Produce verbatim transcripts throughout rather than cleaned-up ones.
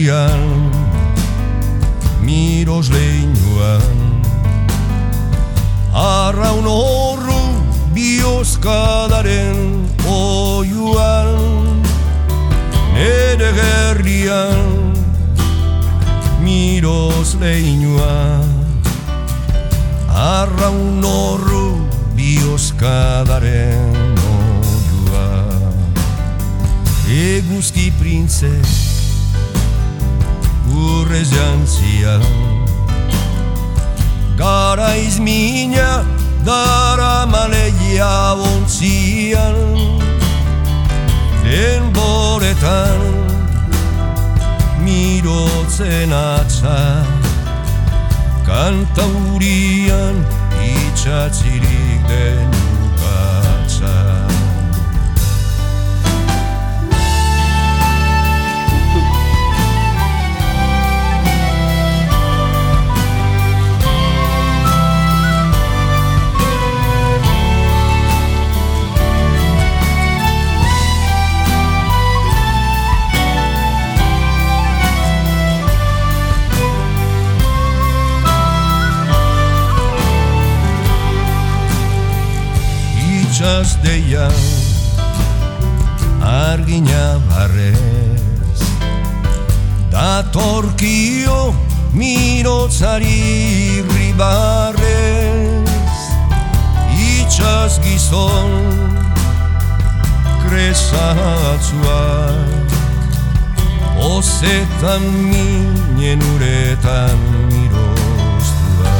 herrian, miros leinuan, arraun horru bihozkadaren oiuan, nere gerrian, miros leinuan, arraun horru bihozkadaren oiuan. Eguzki printze urrez jantzian, garaiz mina dara maleia ontzian, denboretan mirotzen atza, kantaurian itxatzirik den ukatza. Deian argina barrez, datorkio mirotzari ribarrez, itxaz gizon kresatzuak, ozetan minen uretan miroztuak.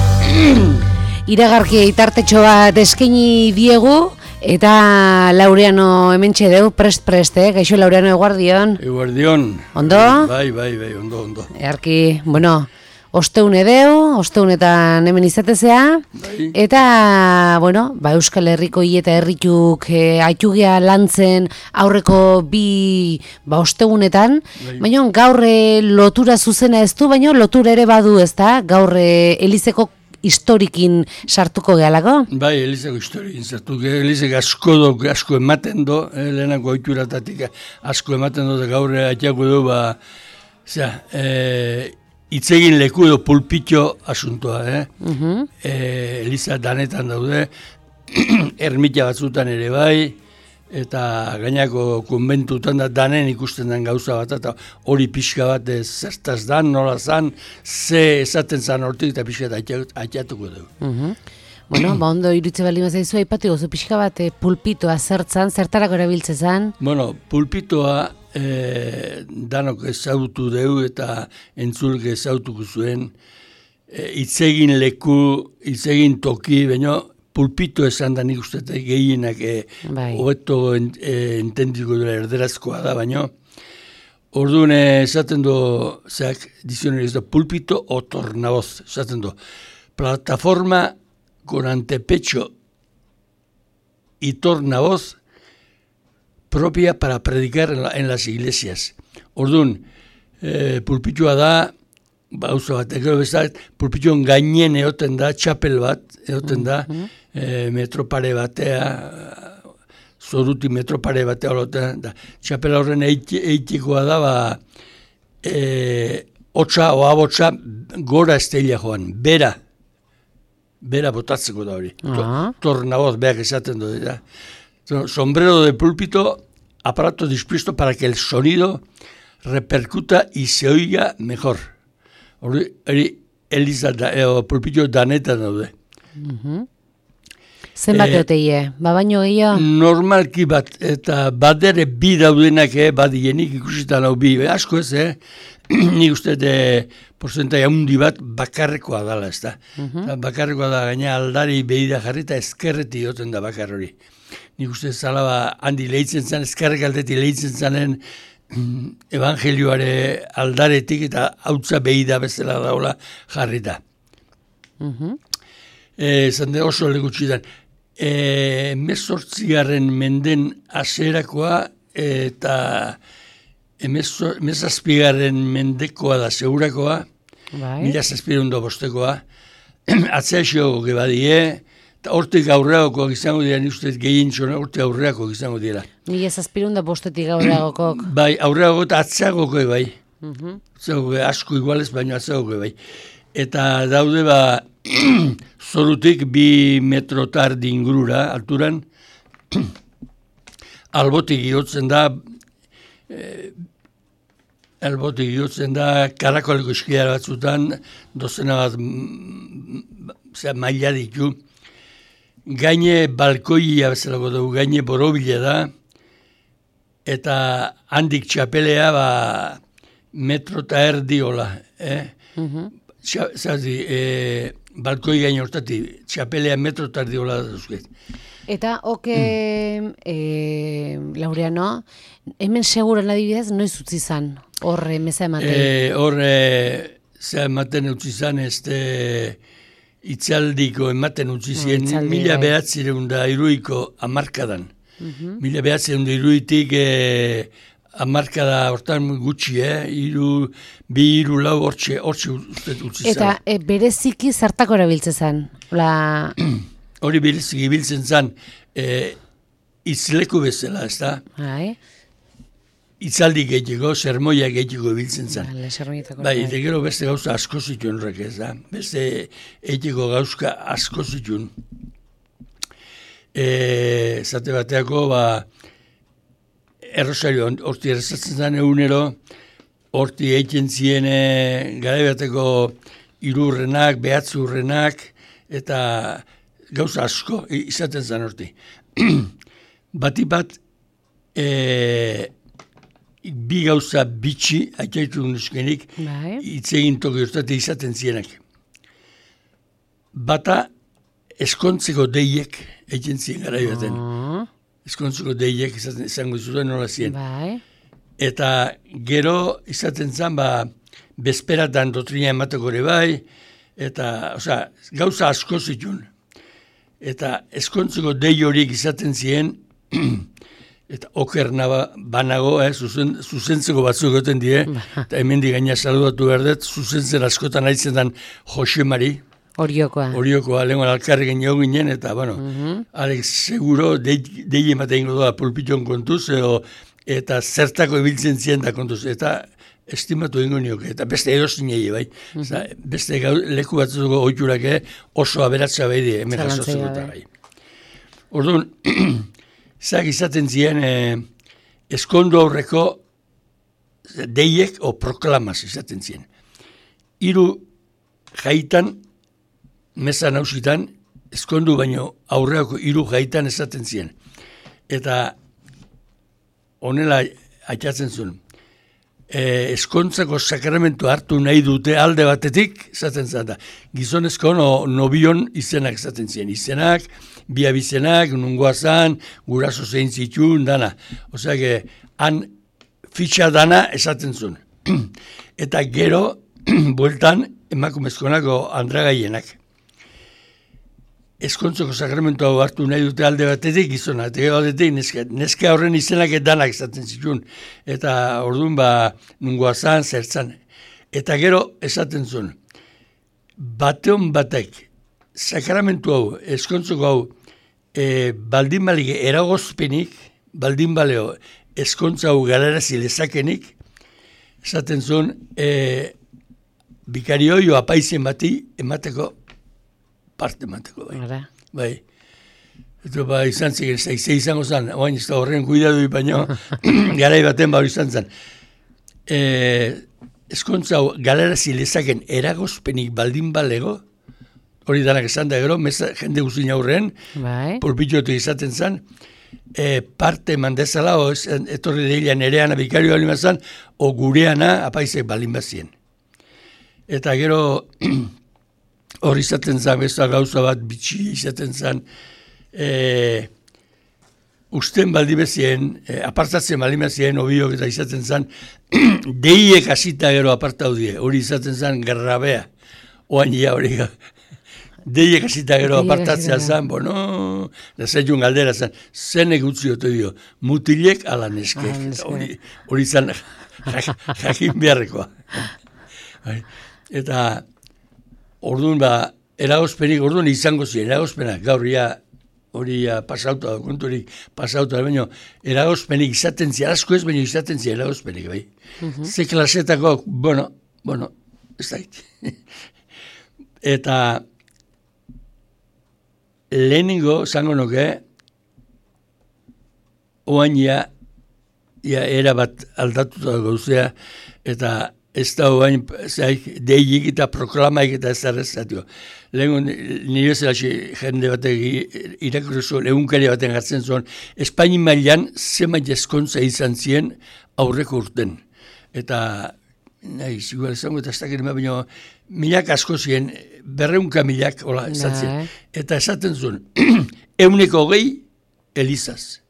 Iragarki itartetxo bat eskaini diegu, eta Laureano hementxe deu, prest-prest, eh? Gaixo Laureano, eguardion. Eguardion. Ondo? Bai, bai, bai, ondo, ondo. Earki, bueno, osteune deu, osteunetan hemen izatezea, bai. Eta, bueno, ba, Euskal Herriko hileta herrituk eh, aitugia lantzen aurreko bi ba, osteunetan, bai. Baina gaur eh, lotura zuzena ez du, baina lotura ere badu, ez da? Gaur eh, Elizeko historikin sartuko gehalako? Bai, Elizeko historikin sartuko, Elizek asko do, asko ematen do, eh, lehenako oituratatik asko ematen do, gaur atiako du, ba, zera, eh, itzegin leku edo pulpitxo asuntoa, eh? Uh-huh. eh, Eliza danetan daude, ermita batzutan ere bai, eta gainako konbentutan da danen ikusten den gauza bat, eta hori pixka bat zertaz dan, nola zan, ze esaten zan hortik eta pixka bat atiatuko dugu. Uh-huh. Bueno, ba ondo irutze bali mazaizu, aipatu gozu pixka bat eh, pulpitoa zertzan, zertarako erabiltze zan? Bueno, pulpitoa eh, danok ezautu dugu eta entzulke ezautuko zuen, eh, itzegin leku, itzegin toki, baina pulpito esan da nik uste gehienak hobeto eh, ent, eh, entendiko dela erderazkoa da, baina orduan esaten du, zeak, dizionari ez da, pulpito o tornavoz, esaten du, plataforma con antepecho y tornavoz propia para predicar en, la, en las iglesias. Orduan, eh, pulpitoa da, bauza bat, egero bezat, pulpituen gainen egoten da, txapel bat, egoten da, mm-hmm. e, metropare batea, zoruti metropare batea oloten da. Txapel horren eitikoa da, ba, e, otsa, oabotsa, gora estela joan, bera, bera botatzeko da hori. Uh-huh. Tornavoz, beak esaten du, da. Sombrero de púlpito, aparato dispuesto para que el sonido repercuta y se oiga mejor. Hori, Eliza da, e, pulpitio danetan daude. Uh-huh. Zenbat e, eoteie? Ba baino gehiago? Normalki bat, eta badere bi daudenak, eh, badienik ikusitan hau bi, asko ez, eh? Nik uste de porzentai handi bat bakarrekoa dala, ez da. Uh-huh. Bakarrekoa da, gaina aldari behida jarri eta eskerreti goten da bakar hori. Nik uste zala ba, handi lehitzen zen, eskerrek aldeti lehitzen zanen, evangelioare aldaretik eta hautza behida bezala daula jarrita. Uh-huh. E, zande oso legutxidan. E, Mezortzigarren menden aserakoa eta emezazpigarren mendekoa da segurakoa, bai. Mila zazpireun da bostekoa, atzeaxio gebadie, eta hortik aurreagokoak izango dira, nik uste gehien txona, hortik aurreagokoak izango dira. Mila zazpireun da bostetik aurreagokok. Bai, aurreagoko eta atzeagoko bai. Mhm. Zeuge asko igualez, baina zeuge bai. Eta daude ba, zorutik bi metro tardi ingurura, alturan, albotik igotzen da, e, albotik igotzen da, karakoleko eskiara batzutan, dozena bat zera, maila ditu, gaine balkoia bezalako dugu, gaine borobila da, eta handik txapelea ba, metro eta erdi hola, eh? Mhm. Zazi, e, balkoi gain hortatik, txapelea metro eta erdi hola duzket. Eta, oke, e, Laureano, hemen seguran adibidez, noiz utzi zan, horre meza ematen? E, horre, ze ematen utzi zan, ez de, itzaldiko ematen utzi zien, Itzaldi, mila bai. behatzireun da iruiko amarkadan. Mhm. Mila behatzireun da iruitik e, amarkada hortan gutxi, eh? Iru, bi iru lau hortxe, hortxe uste utzi zan. Eta e, bereziki zertako erabiltze zan? La... Hori bilezik ibiltzen zan, e, itzleku bezala, ez da? Bai, Itzaldi gehiago, sermoia gehiago ibiltzen zan. Bale, sermoietako. Bai, eta gero beste gauza asko zituen horrek, ez da? Beste egiteko gauzka asko zituen. E, zate bateako, ba, errosario, horti errezatzen zen egunero, horti egiten zien e, gara bateko irurrenak, behatzurrenak, eta gauza asko izaten zen horti. Bati bat, e, bi gauza bitxi, aitaitu nuskenik, Bai. itzegin toki hortate izaten zienak. Bata, eskontzeko deiek, egiten zien gara baten. Oh, Eskontzeko deiek izaten izango zuten nola zien. bai. Eta gero izaten zen, ba, bezperatan dotrina emateko ere bai, eta, osea, gauza asko zituen. Eta eskontzeko dei horiek izaten ziren, eta oker naba, banago, eh, zuzen, zuzentzeko batzuk goten die, eta hemen gaina saludatu behar dut, zuzentzen askotan haitzen den Jose Mari, Oriokoa. Oriokoa, lehenko alkarri genio ginen, eta, bueno, Mhm. Alex, seguro, dei, dei ematen ingo doa pulpiton kontuz, edo, eta zertako ibiltzen ziren da kontuz, eta estimatu ingo nioke, eta beste erozinei, bai. Oza, beste gau, leku batzuko oiturak oso aberatza bai die, hemen Zalantzai jasotzeko gabe. eta bai. Orduan, zak izaten ziren eh, eskondu aurreko deiek o proklamaz izaten ziren. Hiru jaitan, meza nausitan, eskondu baino aurreako hiru jaitan esaten ziren. Eta honela atxatzen zuen. E, eskontzako sakramentu hartu nahi dute alde batetik, esaten zen da. Gizonezko no, nobion izenak esaten ziren. Izenak, bi abizenak, nungoa zan, guraso zein zituen, dana. Osea, que, han fitxa dana esaten zuen. Eta gero, bueltan, emakumezkonako andragaienak. Eskontzoko sakramentu hau hartu nahi dute alde batetik gizona, eta gero aldetik neska, neska horren izenak danak esaten zituen. Eta orduan ba, nungoa zan, zertzan. Eta gero esaten zuen, bateon batek, sakramentu hau, eskontzoko hau, e, baldin balik eragozpenik, baldin baleo, eskontza hau galarazi lezakenik, esaten zuen, e, bikarioio apaizen bati emateko, parte emateko, bai. Ara. Bai. Eta ba, izan ziren, zaize izango zen, oain ez da horren kuidadu baino, garai baten ba hori izan zen. E, eskontza hau galarazi lezaken eragozpenik baldin balego, hori danak esan da gero, meza, jende guztin aurrean, Bai. pulpitxotu izaten zen, e, parte mandezala, o ez, etorri deilean ereana bikario balin bazan, o gureana apaizek balin bazien. Eta gero, hori izaten zen, besta gauza bat bitxi izaten zen, e, usten baldi bezien, e, apartatzen baldi bezien, obiok eta izaten zen, deiek hasita gero apartau die, hori izaten zen grabea, oain ia hori deiek hasita gero Deiek apartatzea hasita. zen, bueno, da zaitun galdera zen, zenek utzi ote dio, mutilek ala neskek, Ala neskek. hori, hori zen jak- jakin beharrekoa. Bai. Eta orduan ba, eragozpenik, orduan izango ziren, eragozpenak, gaur ia hori pasauta, konturik pasauta, baina eragozpenik izaten zia, asko ez, baina izaten zia eragozpenik, bai. Uh-huh. Ze klasetako, bueno, bueno, ez da Eta lehenengo, zango nuke, oain ja, ja era bat aldatuta gauzea, eta ez da oain, zaik, deik eta proklamaik eta ez da rezatio. Lehen, nire zelaxi jende batek irakurrezu, egunkari baten gartzen zuen, Espaini mailan zenbait eskontza izan zien aurreko urten. Eta, nahi, igual izango eta ez da gerima, baina milak asko ziren, berreunka milak, hola, esatzen. Eta esaten zuen, euneko hogei, elizaz.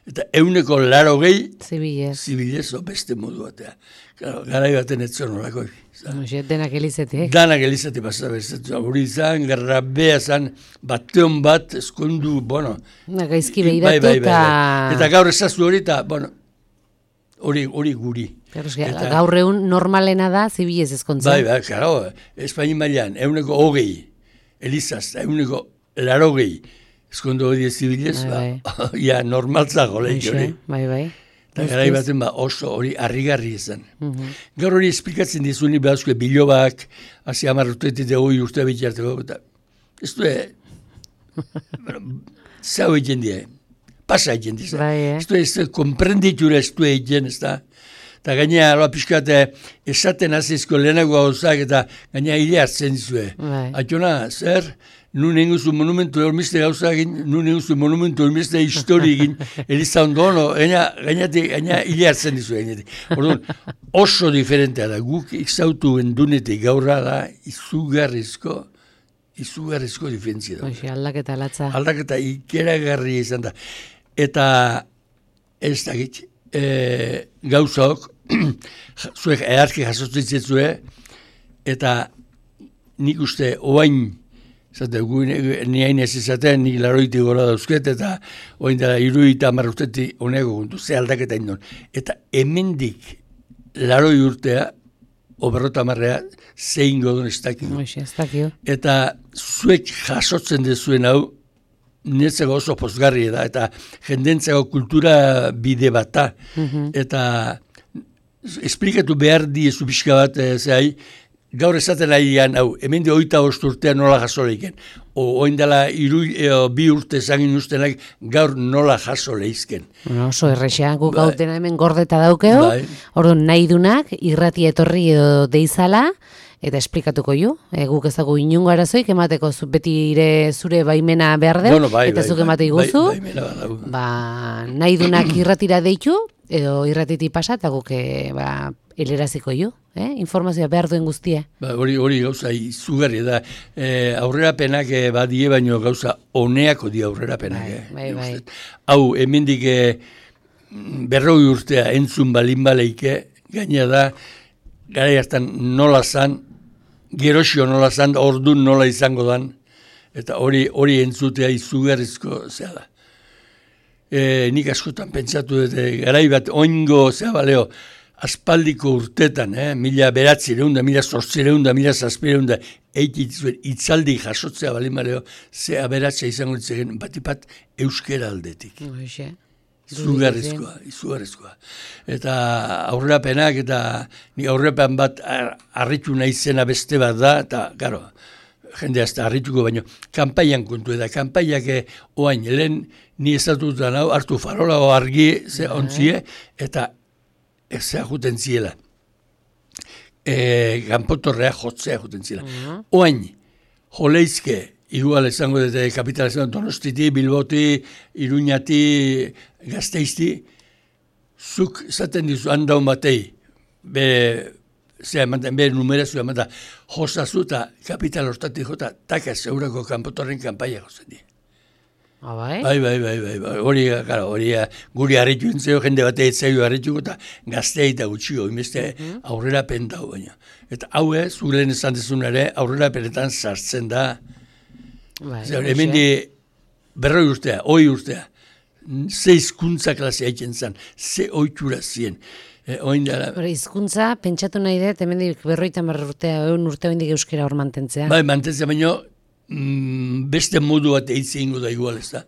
Eta euneko laro gehi, zibilez, zibilez, o beste modu batea. Claro, garai baten etzon horako. Denak elizetik. Danak elizetik basa bezatzen. Hori izan, garrabea zan, bateon bat, eskondu, bueno. Gaizki behiratu bai, bai, bai, bai. Eta gaur ezazu hori, eta, bueno, hori, hori guri. Eta, gaur egun normalena da, zibilez ezkontza. Bai, bai, claro, Espaini mailan, euneko hogei, elizaz, euneko laro gehi. Eskondu hori ez zibilez, bai, ba, ja, normaltzako lehik hori. Bai, bai. Eta garai baten ba, oso hori harrigarri izan. Uh-huh. Gaur hori esplikatzen dizuni behazko bilobak, hazi hamar urteetit egoi urtea bitxarteko, eta ez du, zau egin die, pasa egin dizan. Bai, eh? Ez du, ez du, komprenditura ez du egin, ez da. Eta gainea, aloa pixkat, esaten azizko lehenago gauzak, eta gainea hile hartzen dizue. Bai. Atxona, zer? Nun enguzu monumentu hormizte gauzak, nun enguzu monumentu hormizte histori egin, eliza ondo ono, gaina hile hartzen dizu. Orduan, oso diferentea da, guk ikzautu endunetik gaurra da, izugarrizko, izugarrizko diferentzia da. Oixi, aldaketa latza. Aldaketa ikeragarri izan da. Eta, ez da gitz, e, gauzak, zuek eharki jasotzen zetzue, eta nik uste oain, zate, ni hain ez izaten, nik laroiti gora dauzket, eta oain dela iruita marruteti honeko gundu, ze aldaketa indon. Eta hemendik laroi urtea, oberrota marrea, zein godon ez dakio. Ez dakio. Eta zuek jasotzen dezuen hau, netzeko oso pozgarri da, eta jendentzeko kultura bide bat da. Uh-huh. Eta esplikatu behar diezu pixka bat, e, zehai, gaur esaten nahian, hau, hemen de oita bost urtean nola jaso lehiken. O, oin dela iru, e, bi urte zangin ustenak gaur nola jaso lehizken. No, oso errexean, guk bai. Gautena hemen gordeta daukeo, bai. Orduan nahi dunak, irrati etorri edo deizala, eta esplikatuko ju. E, guk ezagu inungo arazoik, emateko zu, beti ire zure baimena behar deu, bueno, bai, eta bai, zuk emate iguzu. Bai, bai, ba, nahi dunak irratira deitu, edo irratiti pasa, eta guk ba, eleraziko ju. Eh? Informazioa behar duen guztia. Ba, hori, hori gauza izugarri da. E, aurrerapenak e, badie, baino gauza oneako di aurrerapenak. Bai, bai, bai. Hau, hemendik e, berroi urtea entzun balin baleike, gaina da, gara hartan nola zan, gerosio nola zan, ordun nola izango dan, eta hori hori entzutea izugarrizko zea da. E, nik askotan pentsatu dut, garai bat oingo zea baleo, aspaldiko urtetan, eh, mila beratzireunda, mila zortzireunda, mila zazpireunda, eitit zuen itzaldi jasotzea balin baleo, ze aberatzea izango ditzegen, batipat euskera aldetik. Oixe. Izugarrizkoa, izugarrizkoa. Eta aurrerapenak, eta ni aurrerapen bat harritu nahi zena beste bat da, eta, garo, jende azta harrituko baino, kanpaian kontu eta kanpaiak oain, lehen ni ezatutan hau, hartu farola o argi ze ontzie, eta ez juten ziela. E, Ganpotorrea jotzea juten ziela. Uh-huh. Oain, joleizke, igual esango dute kapitalizazioan Donostiti, Bilboti, Iruñati, Gazteizti, zuk zaten dizu handaun batei, be, zera emantan, be numerazio emantan, jozazu eta kapital hortatik jota, taka zeurako Ganpotorren kanpaia jozen di. Ah, bai? Bai, bai, bai, bai, bai, hori, claro, hori guri harritu entzeo, jende bate etzaio harrituko, eta gaztea eta gutxio, inbeste uh-huh. aurrera pentau baina. Eta hau ez, zuren esan dezun ere, aurrera penetan sartzen da, bai, zer, hemen di berroi urtea, oi urtea, ze hizkuntza klasea egiten zen, ze oitura zien. E, dara... Hizkuntza, pentsatu nahi dut, hemen di berroita marra urtea, egun urtea hendik euskera hor mantentzea. Bai, mantentzea, baina mm, beste modu bat eitzen da igual, ez da.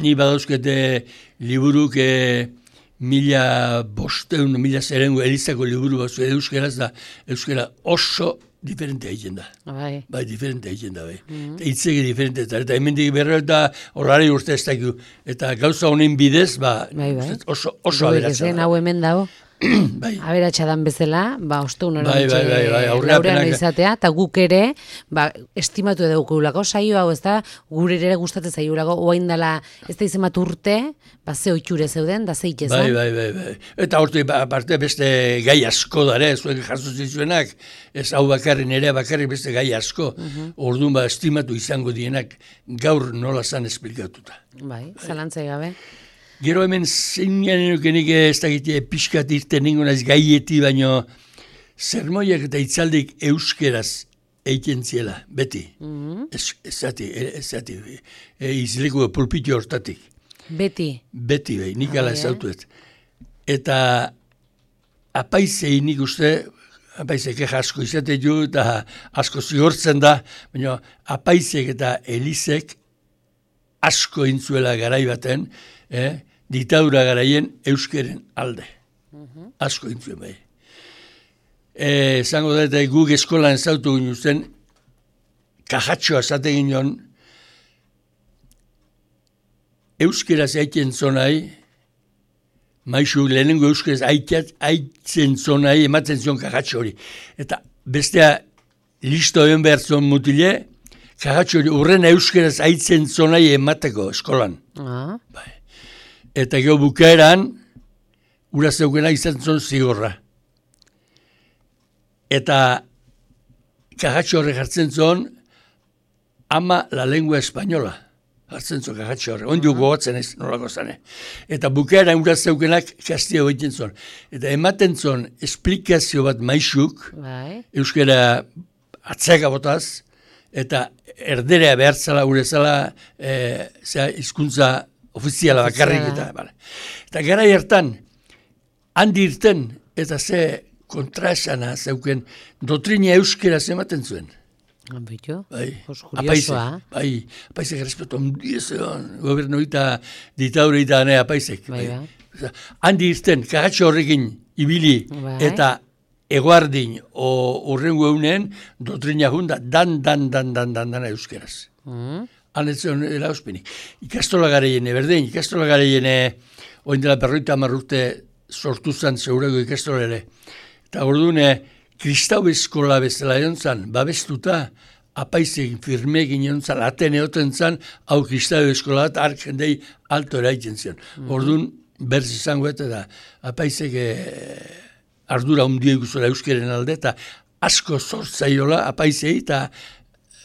Ni badauzkete liburuk e, mila bosteun, mila zerengo elizako liburu bat zuen euskeraz da, euskera oso diferente egiten da. Bai. Bai, diferente egiten da, bai. Mm -hmm. Itzegi diferente da, eta hemendik berro eta horari urte ez dakiu. Eta gauza honen bidez, ba, bai, bai. oso, oso aberatza da. Hau hemen dago. Bai. Aberatsa dan bezala, ba, osteun hori bai, bai, bai, bai, laurean izatea, eta guk ere, ba, estimatu edo gulako saio hau, ez da, gure ere gustatzen zaiulako, oain dela, ez da izen bat urte, ba, ze oitxure zeuden, da zeik ezan. Bai, bai, bai, bai. Eta hortu, ba, aparte beste gai asko dare, zuek jaso zitzuenak, ez hau bakarrin ere, bakarrik beste gai asko, uh -huh. Orduan ba, estimatu izango dienak, gaur nola zan esplikatuta. Bai, zalantzai gabe. Gero hemen zeinan enukenik ez dakite pixkat irten ningun ez gaieti, baino zermoiak eta itzaldik euskeraz eiken ziela, beti. Mm -hmm. Ez, ez zati, ez zati, e, izleko pulpitio hortatik. Beti? Beti, bai, nik ala ezautuet. Eta apaizei nik uste, apaizek asko izate du, eta asko zigortzen da, baina apaizek eta elizek asko intzuela garai baten, eh? Diktadura garaien euskeren alde. Uh-huh. Asko intzuen bai. Zango da, eta guk eskolan ezautu ginen zen, kajatxoa zate ginen, euskeraz aitzen zonai, maizu lehenengo euskeraz aitzen zonai, ematen zion kajatxo hori. Eta bestea, listo egin behar zon mutile, kajatxo hori urren euskeraz aitzen zonai emateko eskolan. Uh-huh. Bai. Eta gero bukaeran, ura zeukena izan zon zigorra. Eta kajatxo horre jartzen zon, ama la lengua española. Jartzen zon kajatxo horre. Ondio gogotzen ez, nolako zane. Eta bukaeran ura zeukenak kastia egiten zon. Eta ematen zon esplikazio bat maixuk, bai. Euskara atzaka botaz, eta erderea behartzala, ure zala, e, hizkuntza ofiziala bakarrik eta, bale. Eta gara hartan, handi irten, eta ze kontraesana zeuken, dotrina euskera ematen zuen. Bitu, bai, kuriosoa. Bai, apaizek respeto ondizean, gobernu eta ditaure eta ne apaizek. Bai, bai. Handi irten, kagatxo horrekin ibili, bai. Eta eguardin, o urrengo eunen, dotrina junda, dan, dan, dan, dan, dan, dan, euskeraz. Mm. Hanetzen erauzpenik. Ikastola garaiene, berdein, ikastola garaiene, oin dela berroita amarrute sortu zan zeurego ikastola ere. Eta orduan, kristau eskola bezala egon zan, babestuta, apaizegin firmegin egon zan, atene oten zan, hau kristau eskola bat, ark jendei alto eraitzen zion. Mm-hmm. Orduan, berz izango eta da, apaizek ardura hundia ikusola euskeren alde, eta asko sortzaiola apaizei, eta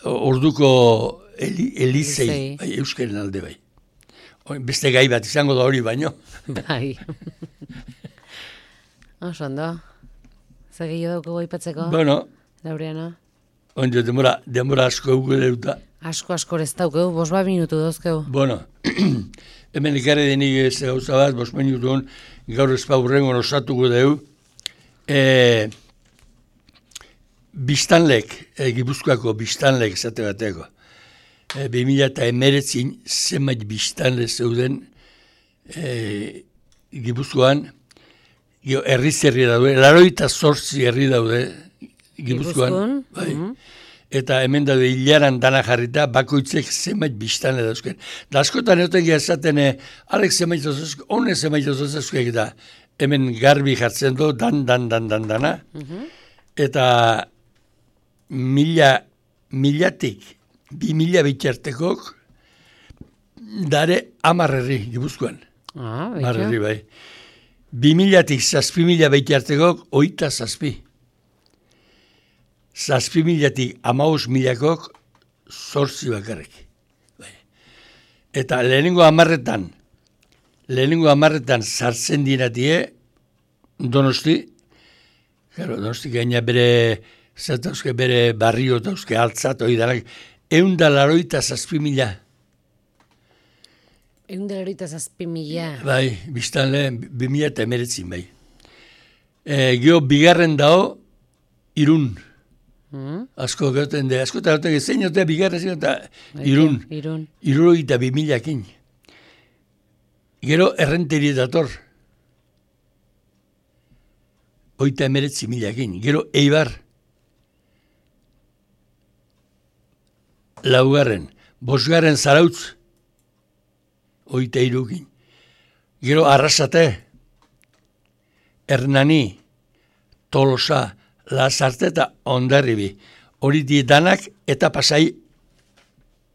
orduko Eli, Elizei, bai, euskaren alde bai. Beste gai bat izango da hori baino. Bai. Oso ondo. Zer gehiago dauko goipatzeko? Bueno. Laureano. Ondo, demora, demora asko eugu deuta. Asko asko ez daukeu, bos bat minutu dozkeu. Bueno, hemen ikarri denik ez gauza bat, bos minutu hon, gaur ezpa hurrengo osatuko deu. E, biztanlek, e, Gipuzkoako biztanlek esate bateko. E, bi mila eta emeretzin zenbait biztanle zeuden e, Gipuzkoan, herriz herri daude, laroita zortzi herri daude Gipuzkoan. Bai. Mm -hmm. Eta hemen daude hilaran dana jarrita, bakoitzek zenbait biztanle dauzken. Da askotan egoten gehazaten, arek zenbait ozazko, honek zenbait ozazko da, hemen garbi jartzen du, dan, dan, dan, dan, dana. Mm -hmm. Eta mila, milatik, bi mila bitxartekok, dare amarrerri Gipuzkoan. Ah, amarrerri bai. Bi milatik zazpi mila bitxartekok, oita zazpi. Zazpi milatik amaus milakok, zortzi bakarrik. Bai. Eta lehenengo amarretan, lehenengo amarretan sartzen dinatie, Donosti, claro, Donosti gaina bere, zatauzke bere barrio dauzke altzat, hori danak, eunda laroita zazpi mila. Eunda laroita zazpi mila. Bai, biztan lehen, bi mila eta emeretzin, bai. E, Gio, bigarren dao, Irun. Mm. Asko gaten de, asko eta gaten, zein otea bigarra zein eta irun. Irun. Iruro eta bimilakin. Gero errenteri dator. Oita emeretzi milakin. Gero Eibar. Laugarren. Bosgarren Zarautz. Oita irukin. Gero Arrasate. Hernani. Tolosa. Lasarte eta Hondarribi. Hori dietanak eta pasai.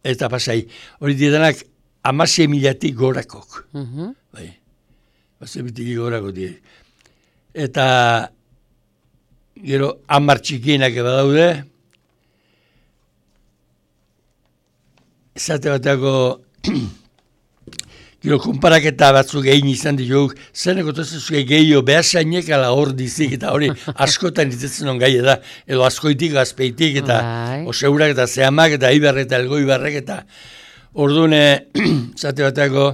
Eta pasai. Hori dietanak amasei milatik gorakok. Mhm. Bai. Amasei milatik gorakok die. Eta gero hamar txikienak badaude. Zate batako gero konparaketa batzuk egin izan ditugu, zeneko tozuzue gehiago behasainek ala hor dizik, eta hori askotan itetzen on gai da, edo askoitik, azpeitik, eta Bai. oseurak, eta zehamak, eta ibarrek, eta elgoibarrek, eta orduan, zate batako,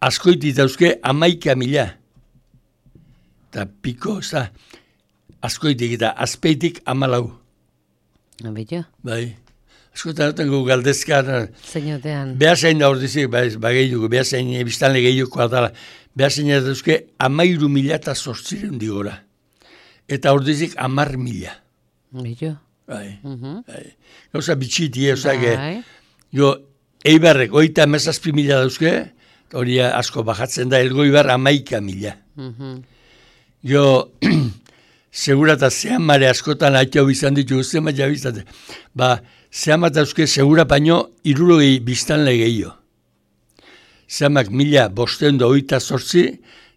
askoitik dauzke amaika mila. Eta piko, ez da, askoitik, eta azpeitik amalau. Abito. Bai. Askotan duten gu galdezkan, Zeinotean. behasain da hor dizik, ba gehiugu, behasain biztanle gehiuko atala, behasain da dauzke amairu mila eta zortzireun digora. Eta hor dizik amar mila. Abito. Bai, Mhm. bai. Gauza bitxiti, eusake, Bai. jo, Eibarrek, oita amazazpi mila dauzke, hori asko bajatzen da, elgoibar amaika mila. Mhm. Jo, segura eta zehamare askotan haitau izan ditu, zema jabizate. Ba, zehamat dauzke segura baino irurogei biztanle gehiago. Zehamak mila bosteun da oita zortzi,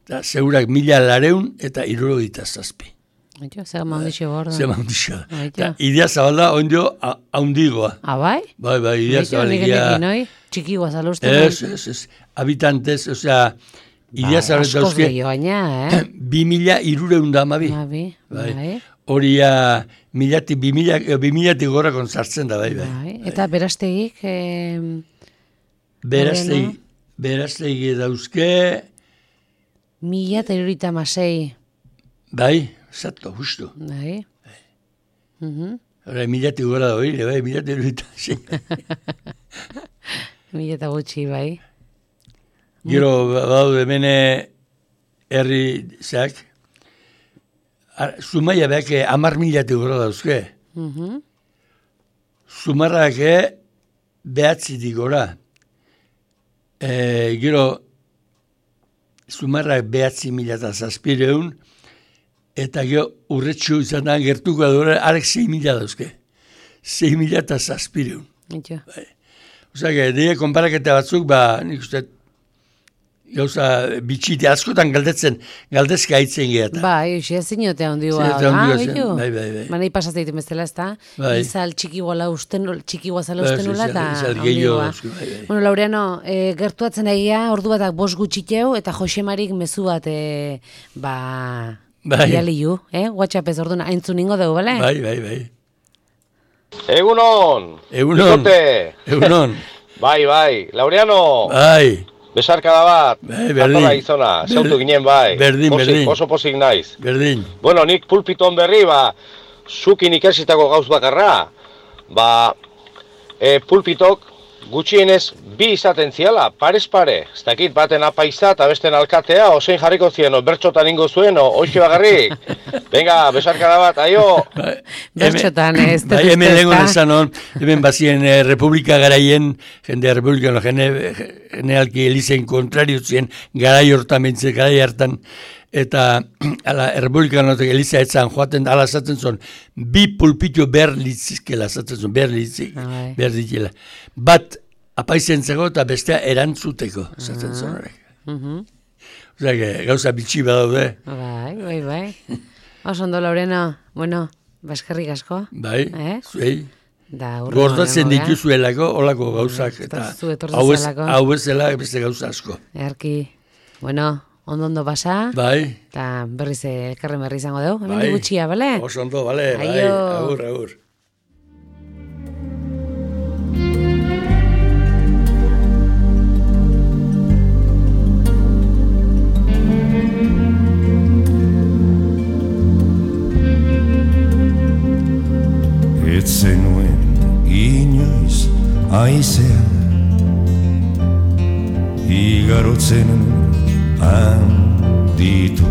eta segurak mila lareun eta irurogeita zazpi. Abito, zer maundixo gordo. Zema hundixo. Aito. Eta idea zabalda ondio haundigoa. Ah, bai? Bai, bai, idea Abito, nik zabalegia. enekin, oi? Txiki guazaluzten. Ez, ez, ez. Habitantez, osea, idea Bai, zabalda askoz dauzke, gehiago gaina, eh? bi mila irureun da amabi. Abi, Bai. bai. Horia, milati, bi mila, bi milatik gorakon sartzen da, bai, bai. Bai. Eta berastegik, eh, Beraztegi, Horrena. beraztegi dauzke, mila eta irurita masei. bai, zato, justu. Bai. Mhm. Hora, milatik gora da hori, bai, milatik iruditan, sí. Mila eta gutxi, bai. Gero, badaude hemen herri zeak, ar- Zumaia behak amar milatik gora dauzke. Mhm. Zumarrak behatzitik gora. E, gero, Zumarrak behatzi mila eta zazpireun, eta gero urretxu izan da gertuko adora, arek sei mila dauzke. Sei mila eta zazpireun. Ito. Osa, dira konparaketa batzuk, ba, nik uste, gauza bitxite, askotan galdetzen, galdezka hitzen gehiata. Bai, usia ziniotea ondioa. Ziniotea ondioa Ah, zen, bitu. bai, bai, bai. Manei pasatzen ditu bezala, ez da? Bai. Izal txiki guala usten, txiki guazala Bai, usten nula, izal- eta izal gehiago ondioa. dauzku, bai, bai. Bueno, Laureano, e, gertuatzen egia, ordu batak bost gutxiteu, eta Josemarik mezu bat, e, ba, Bai. bidaliu, eh? WhatsApp ez orduan, aintzun ningo dugu, bale? Bai, bai, bai. Egunon! Egunon. Bikote! Egunon. Bai, bai, Laureano! Bai, Besarkada bat! Bai, berdin. Atorra gizona, zeutu Berdin. ginen bai. Berdin, Pozik, berdin. Oso pozik naiz. berdin. Bueno, nik pulpiton berri, ba, zukin ikasitako gauz bakarra, ba, e, pulpitok gutxienez bi izaten ziala, parez pare. Ez dakit baten apaiza eta besten alkatea, osein jarriko zien, o bertxotan ingo zuen, o oixi bagarrik. Venga, besarkada bat, aio! Bai, Bertxotan, hemen- ez dut Bai, uste, hemen lehenko ezta? nezan hon, hemen bazien eh, Republika garaien, jende Republika, no, jene, generalki elizen kontrario zien, garai hortan bentze, garai hartan, eta ala, Republika notek eliza etzan joaten, ala zaten zon, bi pulpito behar litzizkela, zaten zon, behar litzik, Bai. behar ditzela. Bat apaizentzeko eta bestea erantzuteko, zaten zon horrek. Mhm. Osea, que gauza bitxi badaude, Bai, bai, bai. Oso ondo, Laureno, bueno, baskerrik asko. bai, Eh? zuei. Da, urrengo Gordatzen dengo, eh? dituzuelako, olako gauzak, eta eta zu etortzen hau ez- zelako. hau ez dela beste gauza asko. Erki, bueno, ondo ondo pasa, Bai, eta berriz eh, elkarren berri izango dugu. Hemen bai. gutxia, bale? Oso ondo, bale, bai, Aio. agur, agur. etzenuen inoiz aizea igarotzen handitu